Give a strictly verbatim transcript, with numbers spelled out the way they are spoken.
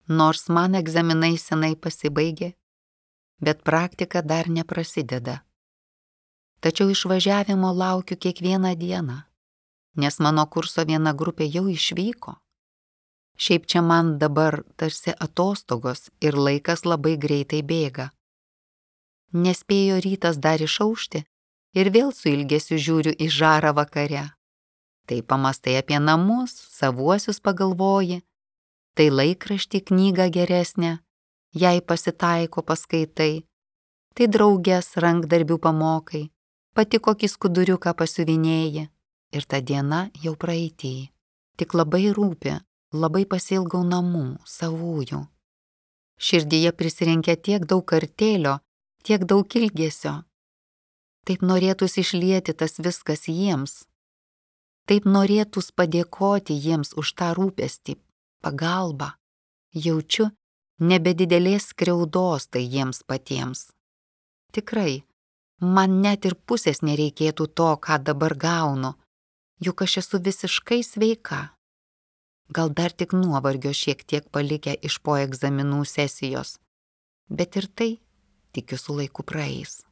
Nors man egzaminai senai pasibaigė, bet praktika dar neprasideda. Tačiau išvažiavimo laukiu kiekvieną dieną, nes mano kurso viena grupė jau išvyko. Šiaip čia man dabar tarsi atostogos ir laikas labai greitai bėga. Nespėjo rytas dar išaušti ir vėl su ilgesiu žiūriu į žarą vakare. Tai pamastai apie namus, savuosius pagalvoji, tai laikraštį knygą geresnę, jei pasitaiko paskaitai, tai draugės rankdarbių pamokai, pati kokį skuduriuką pasiuvinėji ir ta diena jau praeitį. Tik labai rūpi, labai pasiilgau namų, savųjų. Širdyje prisirenkia tiek daug kartėlio, tiek daug ilgesio. Taip norėtųs išlieti tas viskas jiems. Taip norėtųs padėkoti jiems už tą rūpestį, pagalbą. Jaučiu nebe didelės skriaudos tai jiems patiems. Tikrai, man net ir pusės nereikėtų to, ką dabar gaunu, juk aš esu visiškai sveika. Gal dar tik nuovargio šiek tiek palikę iš po egzaminų sesijos, bet ir tai, tikiu, su laiku praeis.